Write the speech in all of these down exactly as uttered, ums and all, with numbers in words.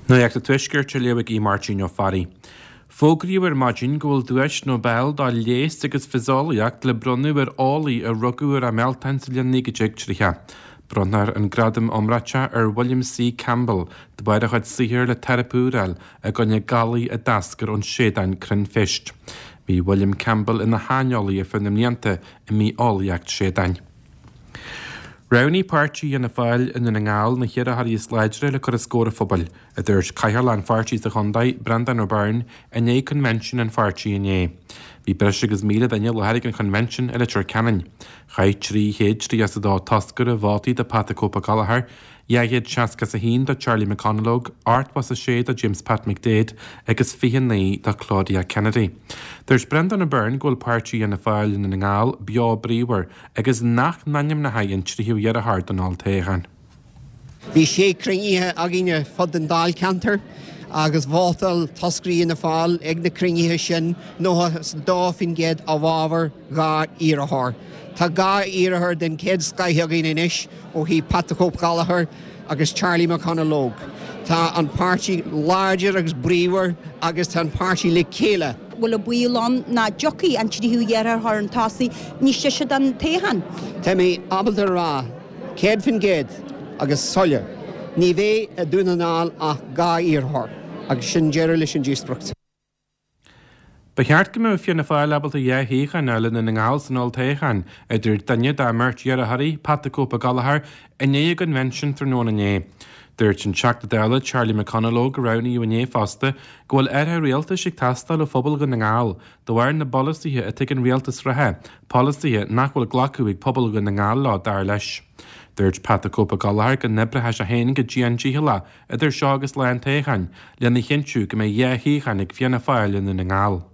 Nuacht an Tuaiscirt á léamh ag Máirtín Ó Fearraigh. Fógraíodh ar maidin go bhfuil duais Nobel do leigheas agus fiseolaíocht le bronnadh ar eolaí a rugadh ar an mBealtaine sa bhliain naoi déag tríocha. Bronnfar an gradam iomráiteach ar William C. Campbell de bharr a chuid saothair le teiripe i gcoinne galair a d'eascair ón séideán cruinnphéist. Bhí William Campbell ina shaineolaí ar feadh na mblianta i mbitheolaíocht séideáin. Roghnaigh páirtí Fhianna Fáil i nDún na nGall na hiarrthóirí is láidre le cur os comhair an phobail, a dúirt Cathaoirleach an pháirtí sa chontae, Breandán Ó Beirn, i ndiaidh coinbhinsiún an pháirtí inné. Bhí breis agus míle duine i láthair ag an choinbhinsiún i Leitir Ceanainn. Chaith trí chéad tríocha is a dó toscaire vótaí do Pat the Cope Gallagher, dhá chéad seasca is a haon do Charlie McConalogue, ochtó is a sé do James Pat McDaid agus fiche naoi do Claudia Kennedy. Dúirt Breandán Ó Beirn go bhfuil páirtí Fhianna Fáil i nDún na nGall beo bríomhar agus nach n-ainmneoidh an tríú iarrthóir don olltoghchán. Bhí sé cruinnithe againne fud den Dáilcheantar agus vótáil toscairí Fhianna Fáil ag na cruinnithe sin nócha is dó faoin gcéad i bhfabhar dhá iarrthóir. Tá dhá iarrthóir den chéad scoth againn anois ó thaobh Pat the Cope Gallagher agus Charlie McConalogue. Tá an páirtí láidir agus bríomhar agus tá an páirtí le chéile. bhfuil an baol ann nach dtiocfaidh an tríú iarrthóir chun tosaigh níos deise don toghchán. Tá mé ábalta rá céad faoin gcéad agus soiléir. Ní bheidh i Dún na nGall ach dhá iarrthóir agus sin deireadh leis an díospóireacht. Ba cheart go mbeadh Fianna Fáil ábalta dhá shuíochán a fháil i nDún na nGall san olltoghchán, a dúirt duine dá mbeirt iarrthóirí, Pat the Cope Gallagher, i ndiaidh a gcoinbhinsiúin tráthnóna inné. Dúirt an Teachta Dála Charlie McConalogue a roghnaíodh inné fosta go bhfuil athrú rialtais ag teastáil ó phobal Dhún na nGall, de bharr na bpolasaithe atá ag an rialtas reatha, polasaithe nach bhfuil glacadh ag pobal Dhún na nGall leo dar leis. Dúirt Pat the Cope Gallagher go n-oibreoidh sé féin go dian dícheallach idir seo agus lá an toghcháin, lena chinntiú go mbeidh dhá shuíochán ag Fianna Fáil i Ndún na nGall.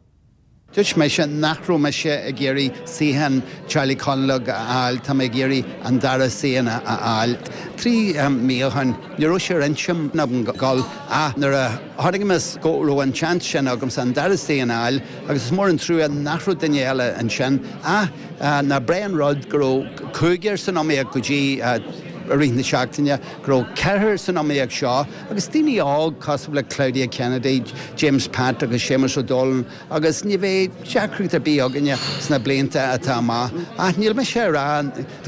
Dúirt mise nach raibh mise ag iarraidh suíochán Charlie McConalogue a fháil, tá mé ag iarraidh an dara suíochán a fháil. Trí mí ó shin, ní raibh sé ar intinn agam gabháil ach nuair a chonaic mé go raibh an seans sin agamsa an dara suíochán a fháil agus is mór an trua nach raibh duine eile ansin ach nach breá an rud go raibh cúigear san iomaíocht go dtí i rith na seachtaine go raibh ceathrar san iomaíocht seo agus daoine óg cosúil le Claudia Kennedy, James Pat agus Séamus O'Donnell agus ní bheidh deacracht ar bith againne sna blianta atá amach ach níl mise ag rá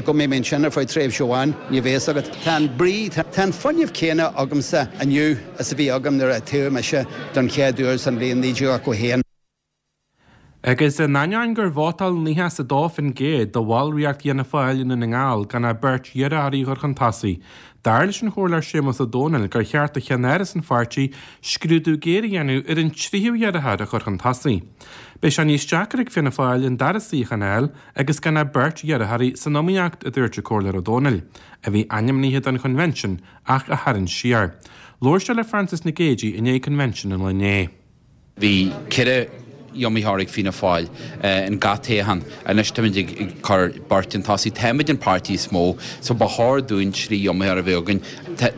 go mbeidh mé ansin ar feadh tréimhse amháin ní bheidh agat. Tá an brí tá an fuinneamh céanna agamsa inniu is a bhí agam nuair a toghadh mise don chéad uair san bhliain naoi déag ochtó haon. Agus in ainneoin gur vótáil nócha is a dó faoin gcéad de bhallraíocht Fhianna Fáil i Ndún na nGall gan ach beirt iarrthóirí a chur chun tosaigh. Dar leis an Chomhairleoir Séamus Ó Domhnaill gur cheart do cheannáras an pháirtí scrúdú géar a dhéanamh ar an tríú iarrthóir a chur chun tosaigh. Beidh sé níos deacra ag Fianna Fáil an dara suíochán a fháil agus gan ach beirt iarrthóirí san iomaíocht a dúirt an Comhairleoir Ó Domhnaill, a bhí ainmnithe don choinbhinsiún ach a tharraing siar. Labhair sé le Francis Nic Géadaigh i ndiaidh coinbhinsiún an lae inné. Bhí ceithre iomaitheoir ag Fianna Fáil in gach toghchán. Anois táimid ag cur beirt chun tosaigh. Táimid an páirtí is mó, so ba chóir dúinn trí iomaitheoir a bheith againn.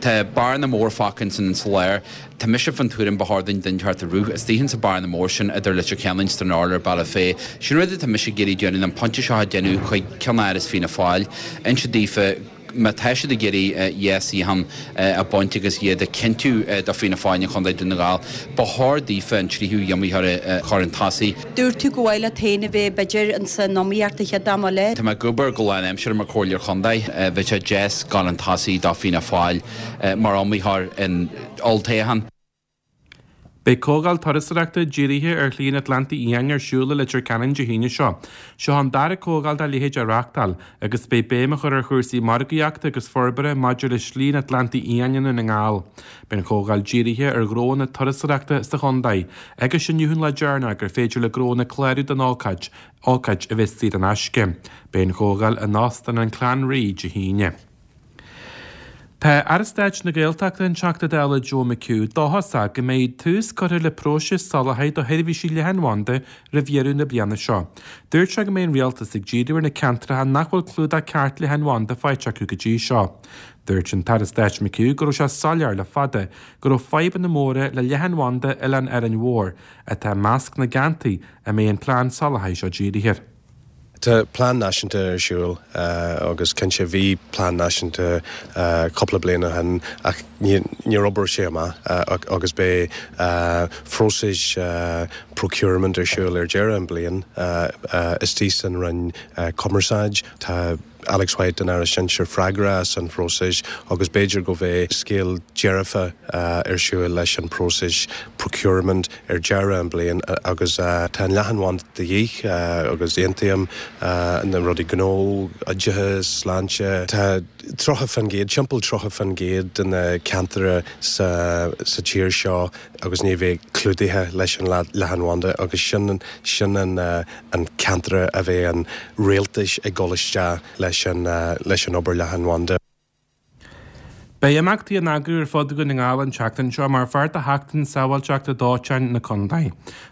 Tá bearna mór fágtha ansin sa lár. Tá mise fan tuairim ba chóir dúinn duine inteacht a rith istigh insa bearna mór sin idir Leitir Ceanainn, Stranorlar, Bealach Féich. Sin rud atá mise ag iarraidh déanamh an pointe seo a dhéanamh chuig ceannáras Fianna Fáil. Inse daofa má tá siad ag iarraidh dhá shuíochán a bhaint agus iad a chinntiú do Fianna Fáil in Chontae Dún na nGall, ba chóir daofa an tríú iomaitheoir a chur chun tosaigh. Dúirt tú go bhfuil leat féin a bheith b'fhéidir insan iomaíocht an chéad am eile. Tá mé ag obair go lánaimseartha mar chomhairleoir chontae, bheadh sé deas dul chun tosaigh do Fianna Fáil mar iomaitheoir in olltoghchán. Beidh comhdháil turasóireachta dírithe ar Shlí an Atlantaigh Fhiáin ar siúl i Leitir Ceanainn Dé hAoine seo. Seo an dara comhdháil dá leithéid á reáchtáil, agus beidh béim á chur ar chúrsaí margaíochta agus forbartha maidir le Slí an Atlantaigh Fhiáin i Ndún na nGall. Beidh an chomhdháil dírithe ar ghnónna turasóireachta sa chontae, agus inniu an lá deireanach gur féidir le gnónna clárú don ócáid, ócáid a bheas saor in aisce. Beidh an chomhdháil in Óstán an Clanree Dé hAoine. Tá Aire Stáit na Gaeltachta an Teachta Dála Joe McHugh dóchasach go mbeidh tús curtha le próiseas soláthair do sheirbhísí leathanbhanda roimh dheireadh na bliana seo. Dúirt sé go mbeidh an rialtas ag díriú ar na ceantracha nach bhfuil clúdach ceart leathanbhanda faighte acu go dtí seo. Dúirt an tAire Stáit McHugh go raibh sé soiléir le fada go raibh fadhbanna móra le leathanbhanda Oileán Árainn Mhór atá i measc na gceantair a mbeidh an plean soláthair seo dírithe. Tá plean náisiúnta ar siúl agus cinnte bhí plean náisiúnta cúpla bliain ó shin ach níor oibrigh sé amach agus beidh próiseas procurement ar siúl ar deireadh an bliain istigh san Roinn Cumarsáid. Tá Alex White an Aire Sinsir freagrach as an phróiseas agus b'fhéidir go bheidh scéal dearfa ar siúl leis an próiseas procurement ar deireadh an bliain agus tá an leathanbhanda de dhíth agus aontaím na rudaí gnó, oideachas, sláinte. Tá tríocha faoin gcéad, timpeall tríocha faoin gcéad de na ceantair sa sa tír seo agus ní bheidh clúdaithe leis an leathanbhanda agus sin sin an an ceantar a bheidh an rialtas ag dul isteach leis an leis an obair leathanbhanda. Beidh imeachtaí á n-eagrú ar fud Dhún na nGall an tseachtain seo mar pháirt de Sheachtain Sábháilteachta Dóiteáin na Contae.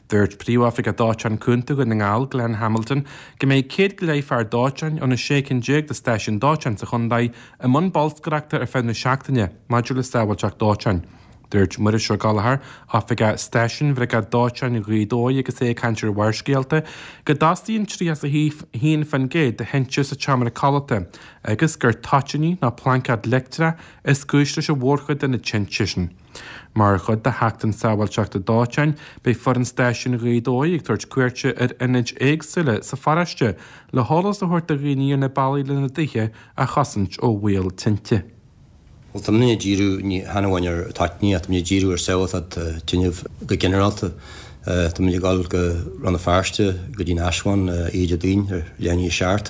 Dúirt Príomhoifigeach Dóiteáin Contae Dhún na nGall, Glenn Hamilton, go mbeidh céad go leith fear dóiteáin ó na sé cinn déag de stáisiúin dóiteáin sa chontae i mbun bolscaireachta ar feadh na seachtaine maidir le sábháilteacht dóiteáin. Dúirt Muiris Ó Gallchóir, Oifigeach Stáisiúin Bhriogáid Dóiteáin Ghaoth Dobhair agus é ag caint ar Bharrscéalta, go dtosaíonn tríocha a haon faoin gcéad de thinte sa tseomra codlata agus gur toitíní nó plaincéad leictreach is cúis leis an mhórchuid de na tinte sin. Mar chuid de Sheachtain Sábháilteachta Dóiteáin, beidh foireann stáisiún Ghaoth Dobhair ag tabhairt cuairte ar ionaid éagsúla sa pharóiste le heolas a thabhairt do dhaoine ar na bealaí lena dtithe a chosaint ó bhaol tinte. Well tá muid ag díriú ní hamháin ar toitíní ach tá muid ag díriú ar sábháilteacht tinneamh go ginearálta. Tá muid ag dul go Rann na Feirste go dtí an Ashwan oíche Déardaoin ar leath i ndiaidh a seacht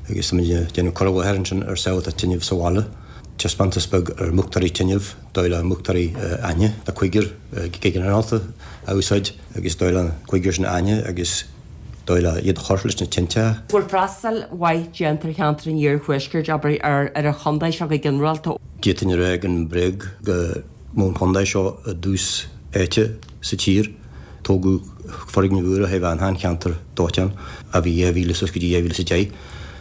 agus tá muid ag déanamh cur i láthair ansin ar sábháilteacht tinneamh sa bhaile. Taispeántas beag ar múchtóirí tinneamh, dóigh le múchtóirí aithne le cúigear go ginearálta a úsáid agus dóigh le cúigear sin aithne agus dóigh le iad a chur leis na tinte. Bhfuil freastal mhaith déanta ar cheantar an iarthuaiscirt abair ar ar an chontae seo go ginearálta. D'fhéadfainn a rá gan bréag go mbeadh an chontae seo i dtús áite sa tír. Tógadh foirgneamh úr a thaobh an cheantar dóiteáin a bhí dhá mhíle suas go dtí dhá mhíle is a deich.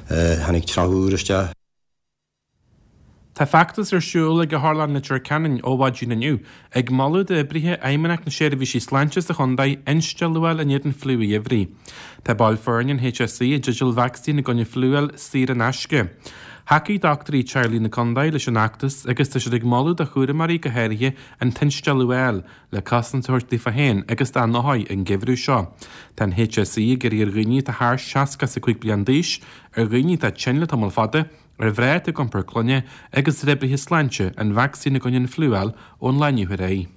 Tháinig trealamh úr isteach. Tá feachtas ar siúl ag Otharlann Leitir Ceanainn ó mhaidin inniu, ag moladh d'oibrithe Fheidhmeannacht na Seirbhísí Sláinte sa chontae instealladh a fháil in éadan fliú gheimhridh. Tá baill foirne an HSE i dteideal vacsaín i gcoinne fliú a fháil saor in aisce. Thacaigh dochtúirí teaghlaigh na contae leis an fheachtas agus tá siad ag moladh do chúramóirí go háirithe an t-instealladh a fháil le cosaint a thabhairt daofa féin agus dá n-othair an geimhreadh seo. Tá an HSE ag iarraidh ar dhaoine atá thar seasca is a cúig bliain d'aois, ar dhaoine atá tinn le tamall fada, ar mhná atá ag iompar clainne agus ar oibrithe sláinte an vacsaín i gcoinne an fliú a fháil ón lá inniu ar aghaidh.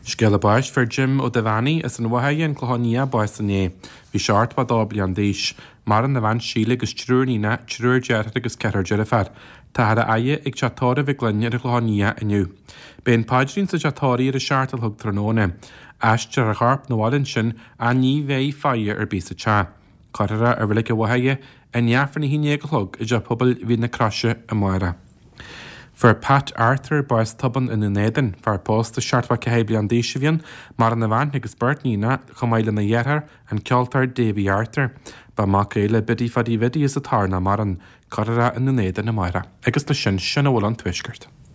Scéala báis fuair Jim Ó Duibheannaigh as an Mhachaire an Clochán Liath bás inné. Bhí sé ochtó a dó bliain d'aois. Maireann a bhean Síle agus triúr níonacha, triúr deartháir agus ceathrar deirfiúr. Táthar á fhaire ag teach tórraimh Mhic Fhloinn ar an Chlochán Liath inniu. Beidh an paidrín sa teach tórraimh ar a seacht a chlog tráthnóna. Aistreofar a chorp 'na bhaile ansin ach ní bheidh faire ar bith sa teach. Cuirfear é i Reilig an Mhachaire i ndiaidh Aifreann a haon déag a chlog i dteach pobail Mhín na Croise amárach. Fuair Pat Arthur bás tobann i nDún Éideann, fear pósta seachtó ceathair bliain d'aois a bhí ann, maireann a bhean agus beirt níonacha, chomh maith lena dheartháir, an ceoltóir Davy Arthur. Ba mhac é le Biddy Phaddy Bhiddy as an Tor nach maireann. Cuirfear é i nDún Éideann amárach. Agus leis sin, sin a bhfuil ón Tuaisceart.